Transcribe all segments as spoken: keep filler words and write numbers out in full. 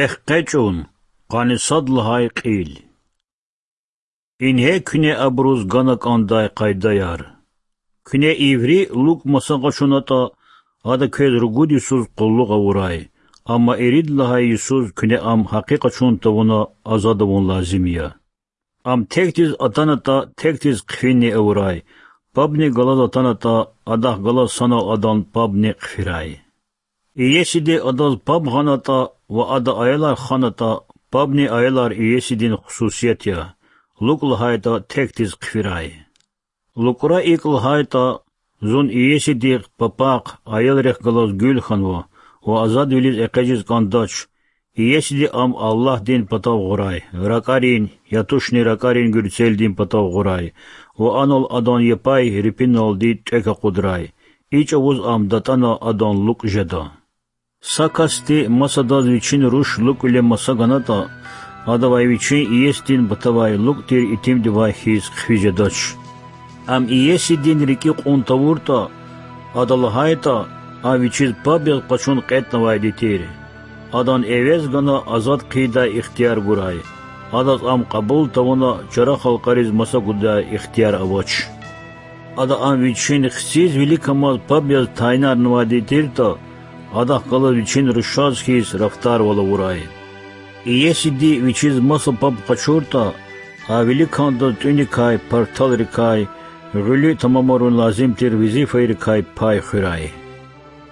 Экъечӏун, къанни сад лагьай кьил. Ингье куьне абуруз гана кӏандай къайдаяр. Куьне иври лукӏ маса къачунатӏа, ада квез ругуд йисуз къуллугъ авурай, амма ирид лагьай йисуз куьне ам гьакъи къачун тавуна азад авун лазим я. Ам текдиз атанатӏа, текдиз хъфинни авурай, пабни галаз атанатӏа, адахъ галаз санал адан пабни хъфирай. Иесиди адаз паб гъанатӏа ва ада аялар ханатӏа, пабни аялар иесидин хсусият я, лукӏ лагьайтӏа, текдиз хъфирай. Лукӏра икӏ лагьайтӏа: Зун иесидихъ, папахъ, аялрихъ галаз гуьл хьанва ва азадвилиз экъечӏиз кӏандач, иесиди ам Аллагьдин патав гъурай, ракӏарин, я тушни ракӏарин гуьрцелдин патав гъурай ва анал адан япай рипиналди тӏвек акъудрай, и чӏавуз ам датӏана адан лукӏ жеда. Са касди масадаз вичин руш лукӏвиле маса ганатӏа, адавай вичин иесидин патавай лукӏ тир итимдивай хьиз хъфиз жедач. Ам иесидин рикӏи кьун тавуртӏа, ада лагьайтӏа, ам вичиз паб яз къачун кьетӏнавайди тир, адан эвез гана азад хъийидай ихтияр гурай, адаз ам кьабул тавуна чара халкьариз маса гудай ихтияр авач. Ада ам вичин хциз виликамаз паб яз тайинарнавайди тиртӏа, адахъ галаз вичин рушаз хьиз рафтарвал авурай. Иесиди вичиз маса паб къачуртӏа, а виликандаз тӏуьникай, парталрикай, гъуьлуь тамамарун лазим тир везифайрикай пай хуьрай.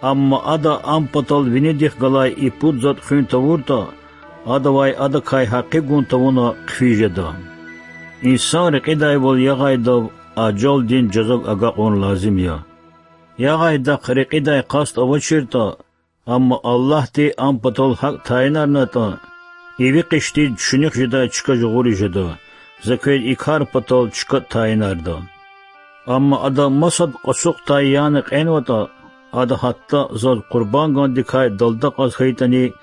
Амма ада ам патал винидихъ галай и пуд затӏ хуьн тавуртӏа, адавай адакай гьакъи гун тавуна хъфиз жеда. Инсан рекьидайвал ягъайдав ажалдин жаза агакьун лазим я. Ягъайдахъ рекьидай къаст авачиртӏа, амма Аллагьди ам патал гьакӏ тайинарнатӏа, и ви къиштиз чуьнуьх жедай чка жагъуриз жеда, за квез и кар патал чка тайинарда. Амма ада масад кьасукьдай яна кьенватӏа, ада гьатта заз къурбангандикай далдакьаз хьайитӏани,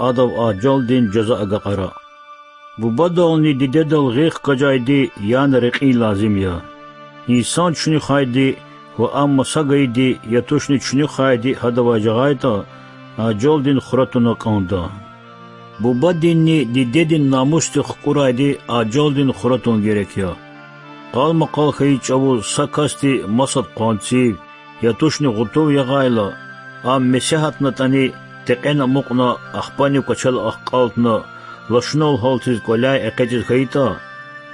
адав ажалдин жаза агакьара. Бубадални дидедал гъил хкажайди яна рекьин лазим я. Инсан чуьнуьхайди ва ам маса гайиди, я тушни чуьнуьхайди гьадавай жагъайтӏа, ажалдин хура туна кӏанда. Бубадинни дидедин намусдик хкӏурайди ажалдин хура тун герек я. Къалмакъал хьайи чӏавуз са касди масад къванцив, я тушни гъутув ягъайла, ам месягьатнатӏани, текьен амукьна, ахпани кӏвачел ахкӏалтна, лашунал гьалтиз кӏваляй экъечӏиз хьайитӏа,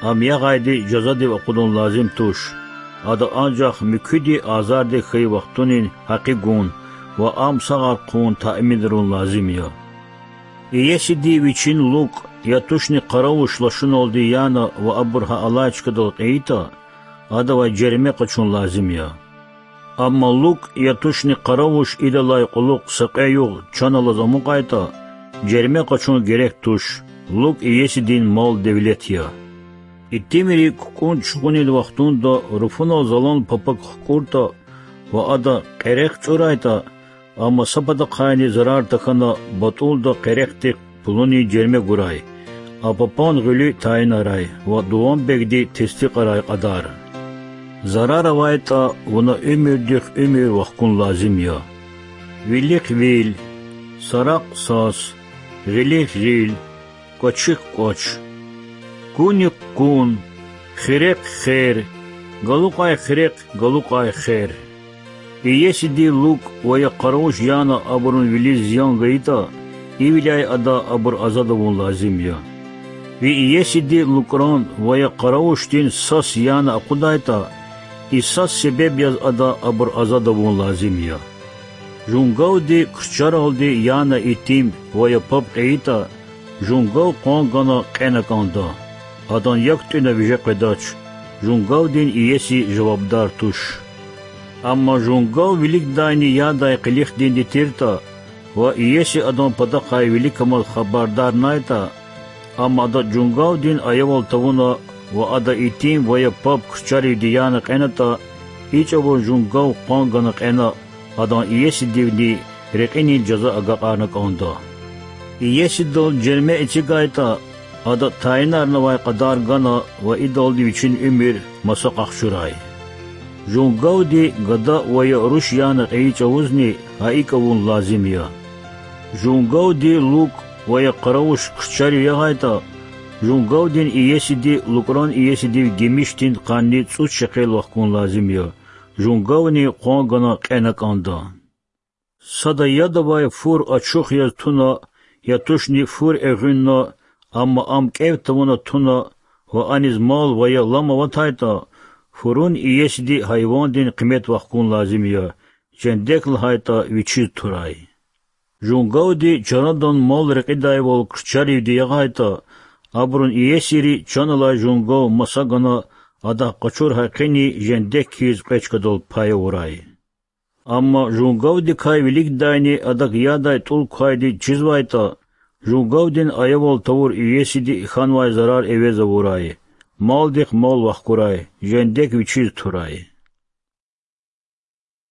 ам ягъайди жазадив акъудун лазим туш. Ада анжах муькуьди азардик хьайи вахтунин гьакъи гун ва ам сагъар хъувун таъминарун лазим я. Иесиди вичин лукӏ, я тушни къаравуш лашуналди яна ва абур гьа алай чкадал кьейитӏа, адавай жерме къачун лазим я. Амма лукӏ, я тушни къаравуш идалай кьулухъ са кьве югъ чан алаз амукьайтӏа, жерме къачун герек туш, лукӏ иесидин мал-девлет я. Итимри кукӏун чугъунин вахтунда руфунал залан папак хкӏуртӏа ва ада къерехъ чӏурайтӏа, амма са патахъайни зарар тахьана батӏулда къерехдихъ пулунин жерме гурай, а папан гъуьлуь тайинарай ва дуванбегди тестикьарай кьадар. Зарар авайтӏа, вуна уьмуьрдихъ уьмуьр вахкун лазим я. Вилик вил, сарахъ сас, гъилик гъил, кӏвачихъ кӏвач. Куник кун, хирехъ хер, галукьай хирехъ, галукьай хер. Иесиди лукӏ ва я къаравуш яна абурун вилиз зиян гайитӏа, ивиляй ада абур азад авун лазим я. Ви иесиди лукӏран ва я къаравушдин сас яна акъудайтӏа, и сас себеб яз ада абур азад авун лазим я. Жунгавди крчаралди яна итим ва я паб кьейитӏа, жунгав къван гана кьена кӏанда. Адан як тӏуьна виже къведач, жунгавдин иеси жавабдар туш. Амма жунгав виликдайни ядай къилихдинди тиртӏа ва иеси адан патахъай виликамаз хабардарнайтӏа, ам ада жунгавдин аявал тавуна ва ада итим ва я паб крчаривди яна кьенатӏа, и чӏавуз жунгав къван гана кьена, адан иесидивни рекьинин жаза агакьарна кӏанда. Иесидал жерме эцигайтӏа, ада тайинарнавай кьадар гана ва идалди вичин уьмуьр маса къахчурай. Жунгавди гада ва я руш яна кьейи чӏавузни гьа икӏ авун лазим я. Жунгавди лукӏ Ва я къаравуш хъчарив ягъайтӀа, жунгавдин иесиди лукӀран иесидив гимишдин къанни цӀуд шекел вахкун лазим я, жунгавни къван гана кьена кӀанда. Сада яд авай фур ачух яз туна, я тушни фур эгъуьнна, амма ам кӀев тавуна туна ва аниз мал ва я лам аватайтӀа, фурун иесиди гьайвандин къимет вахкун лазим я, жендек лагьайтӀа, вичиз турай. Жунгавди чарадан мал рекьидайвал хъчаривди ягъайтӀа, абурун иесийри чан алай жунгав маса гана, адахъ къачур гьакъини жендек хьиз кьве чкадал пай авурай. Амма жунгавдикай виликдайни адак ядай тӀул квайди чизвайтӀа, жунгавдин аявал тавур иесиди хьанвай зарар эвез авурай, малдихъ мал вахкурай, жендек вичиз турай.